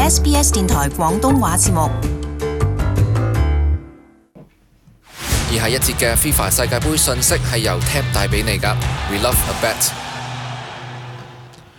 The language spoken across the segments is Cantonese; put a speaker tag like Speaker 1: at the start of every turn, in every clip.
Speaker 1: SBS 電台廣東話節目。
Speaker 2: 以下一節嘅 FIFA 世界盃訊息係由 TAB 帶俾你㗎。We love a bet。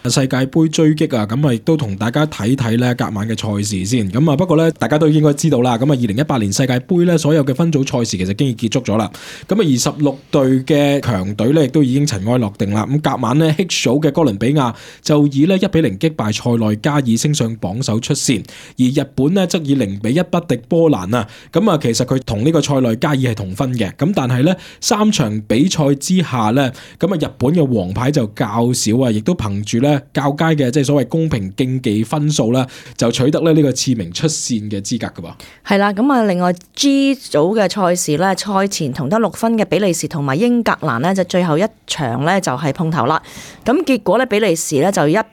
Speaker 3: 世界盃追擊啊，咁啊亦都同大家睇睇咧隔晚嘅賽事先。咁啊不過咧，大家都應該知道啦。咁啊2018年世界盃咧所有嘅分組賽事其實已經結束咗啦。咁啊26隊嘅強隊咧亦都已經塵埃落定啦。咁隔晚咧 H 組嘅哥倫比亞就以咧1-0擊敗塞內加爾升上榜首出線，而日本咧則以0-1不敵波蘭啊。咁啊其實佢同呢個塞內加爾係同分嘅。咁但係咧3場比賽之下咧，咁啊日本嘅黃牌就較少啊，亦都憑住咧較佳嘅即係所謂公平競技分數啦，就取得咧呢個次名出線嘅資格噶噃。
Speaker 4: 係啦，咁啊另外 G 組嘅賽事咧，賽前同得6分嘅比利時同埋英格蘭呢，就最後一場咧就係碰頭啦。咁結果咧比利時咧就1-0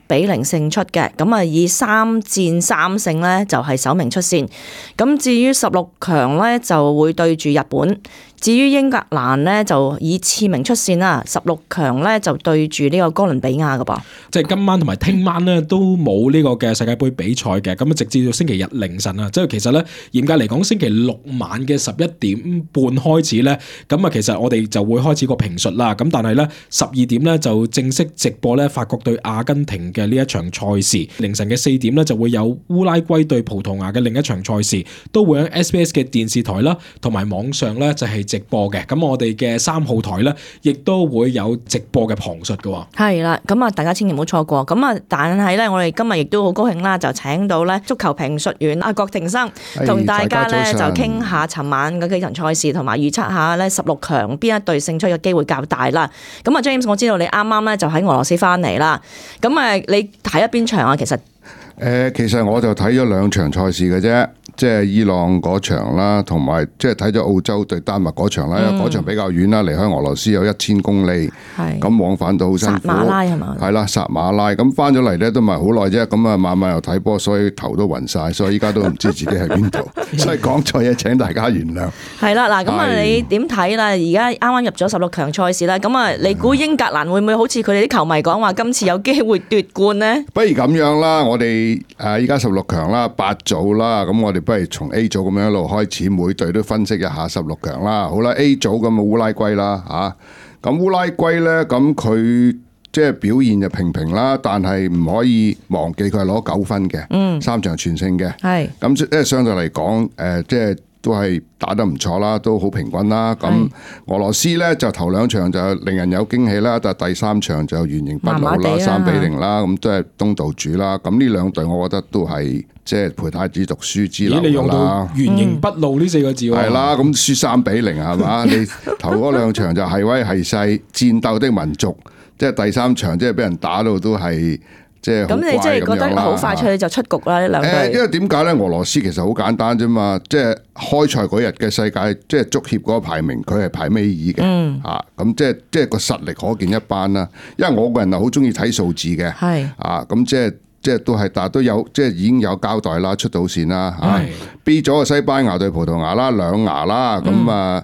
Speaker 4: 勝出嘅，咁啊以3戰3勝咧就係首名出線。咁至於16強咧就會對住日本。至於英格蘭呢，就以次名出線啦，16強呢，就對住呢個哥倫比亞㗎噃。
Speaker 3: 即係今晚同埋聽晚呢，都冇呢個嘅世界盃比賽嘅，咁啊直至到星期日凌晨啊，即係其實呢，嚴格嚟講星期六晚嘅11點半開始呢，咁啊其實我哋就會開始個評述啦。咁但係呢，12點呢，就正式直播呢法國對阿根廷嘅呢一場賽事，凌晨嘅4點呢，就會有烏拉圭對葡萄牙嘅另一場賽事，都會喺 SBS 嘅電視台啦同埋網上呢，就係直播嘅。咁我哋嘅3號台咧，亦都會有直播嘅旁述嘅。
Speaker 4: 係啦，咁啊大家千祈唔好錯過。咁啊，但係咧，我哋今日亦都好高興啦，就請到咧足球評述員阿郭庭生，同大家咧就傾下尋晚嗰幾場賽事，同埋預測下咧16強邊一隊勝出嘅機會較大啦。咁啊 James，我知道你啱啱咧就喺俄羅斯翻嚟啦。咁啊，你睇咗邊場啊？其實
Speaker 5: 我就睇咗2場賽事嘅啫。即係伊朗嗰場啦，同埋即係睇咗澳洲對丹麥嗰場啦，因為嗰場比較遠啦，離開俄羅斯有1000公里，咁往返都好辛苦。薩馬拉係嘛？係啦，薩馬拉咁翻咗嚟咧都唔係好耐啫，咁啊晚晚又睇波，所以頭都暈晒，所以依家都唔知自己喺邊度，所以講錯嘢請大家原諒。係啦，
Speaker 4: 嗱咁啊，你點睇啦？而家啱啱入咗16強賽事啦，咁啊，你估英格蘭會唔會好似佢哋啲球迷講話，今次有機會奪冠呢？
Speaker 5: 不如咁樣啦，我哋依家16強啦，8組啦，咁我哋不如從 A 組咁樣一路開始，每隊都分析一下16強啦。好啦 ，A 組咁啊烏拉圭啦嚇，咁烏拉圭咧，咁佢即係表現就平平啦，但係唔可以忘記佢係攞9分嘅，3場全勝嘅。係咁即係相對嚟講，即係都係打得唔錯啦，都好平均啦。咁俄羅斯咧就頭2場就令人有驚喜啦，但係第3場就原形畢露啦，3-0啦，咁都係東道主啦。咁呢兩隊我覺得都係即係陪太子讀書之流㗎啦。你用到
Speaker 3: 原形畢露呢4個字喎？
Speaker 5: 係啦，咁輸3-0係嘛？你頭嗰2場就係威係勢，戰鬥的民族，即係第3場即係俾人打到都係。咁
Speaker 4: 你即係覺得好快脆就出局啦？呢兩隊
Speaker 5: 因為點解咧？俄羅斯其實好簡單啫嘛，即係開賽嗰日嘅世界即係足協嗰個排名，佢係排尾二嘅咁即係個實力可見一斑啦。因為我個人係好中意睇數字嘅，咁即係都係，但係都有即係已經有交代啦，出到線啦。B 組嘅西班牙對葡萄牙啦，2牙啦，咁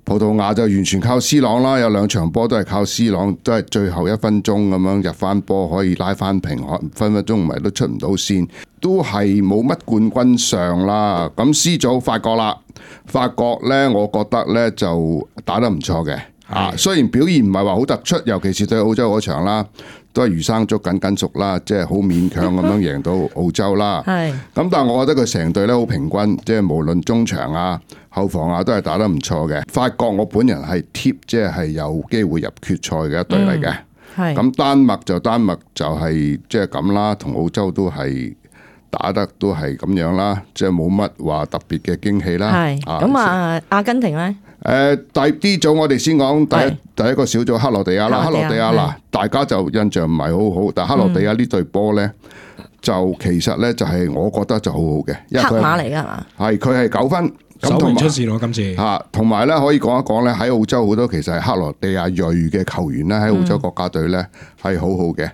Speaker 5: 葡萄牙就完全靠 C 朗啦，有2場波都係靠 C 朗，都係最後1分鐘咁樣入翻波，可以拉翻平，分分鐘唔係都出唔到線，都係冇乜冠軍相啦。咁 C 組法國啦，法國呢，我覺得呢就打得唔錯嘅，雖然表現唔係話好突出，尤其是對澳洲嗰場啦，都係魚生粥緊熟啦，即係好勉強咁樣贏到澳洲啦。咁但係我覺得佢成隊咧好平均，即係無論中場啊、後防啊都係打得唔錯嘅。法國我本人係貼，即係有機會入決賽嘅一隊嚟嘅。咁丹麥就係即係咁啦，同澳洲都係打得都係咁樣啦，即係冇乜話特別嘅驚喜啦。
Speaker 4: 咁阿根廷咧？
Speaker 5: 第 D 組我哋先講第一個小組克羅地亞啦，克羅地亞嗱，大家就印象唔係好好，但係克羅地亞呢隊波咧，就其實咧就係我覺得就好好嘅，因為
Speaker 4: 黑馬嚟㗎係嘛？
Speaker 5: 係佢係9分，
Speaker 3: 首名出線咯今次
Speaker 5: 同埋咧可以講一講咧，喺澳洲好多其實係克羅地亞裔嘅球員咧，喺澳洲國家隊咧係好好嘅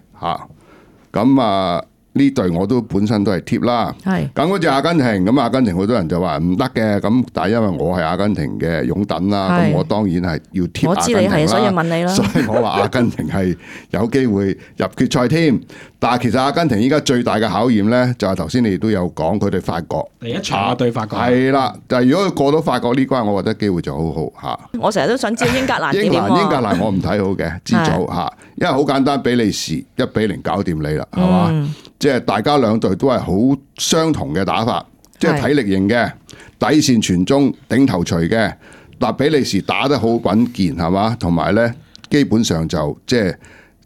Speaker 5: 咁呢隊我都本身都係貼啦。
Speaker 4: 係
Speaker 5: 咁嗰隻阿根廷，咁阿根廷好多人就話唔得嘅，咁但係因為我係阿根廷嘅擁躉啦，咁我當然係要貼阿根廷啦。
Speaker 4: 我知你係，所以問你啦。
Speaker 5: 所以我話阿根廷係有機會入決賽添。但係其實阿根廷依家最大嘅考驗咧，就係頭先你哋都有講，佢哋法國
Speaker 3: 第一場對法國
Speaker 5: 係啦。但係如果佢過到法國呢關，我覺得機會就好好嚇。
Speaker 4: 我成日都想知英格蘭點喎。
Speaker 5: 英格蘭我唔睇好嘅，知組嚇，因為好簡單，比利時1-0搞掂你啦，係嘛？即係大家兩隊都係好相同嘅打法，即係體力型嘅，底線傳中頂頭錘嘅。但比利時打得好穩健係嘛，同埋咧基本上就即係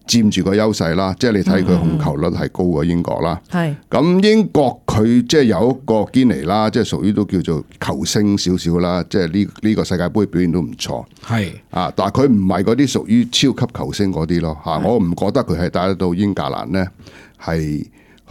Speaker 5: 佔住個優勢啦。即係你睇佢控球率係高過英國啦。係咁英國佢即係有一個堅尼啦，即係屬於都叫做球星少少啦。即係呢個世界盃表現都唔錯。係啊，但係佢唔係嗰啲屬於超級球星嗰啲咯嚇。我唔覺得佢係帶得到英格蘭咧係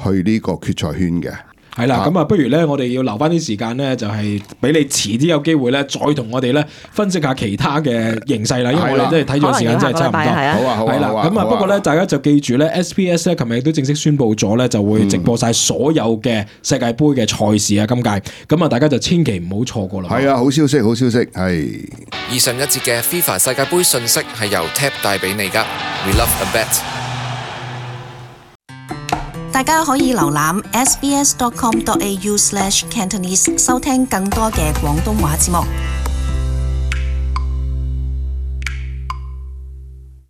Speaker 5: 去呢個決賽圈嘅。
Speaker 3: 係啦，咁啊，不如咧，我哋要留翻啲時間咧，就係俾你遲啲有機會咧，再同我哋咧分析下其他嘅形勢啦。因為我哋真係睇咗時間真係差唔多。好啊，係啦。咁啊，不過咧，大家就記住咧 ，SPS 咧，琴日亦都正式宣布咗咧，就會直播晒所有嘅世界盃嘅賽事啊，今屆。咁啊，大家就千祈唔好錯過啦。
Speaker 5: 係啊，好消息，好消息，係。
Speaker 2: 以上一節嘅 FIFA 世界盃訊息係由 TAP 帶俾你噶。We love a bet。
Speaker 1: 大家可以瀏覽 sbs.com.au/cantonese 收聽更多嘅廣東話節目。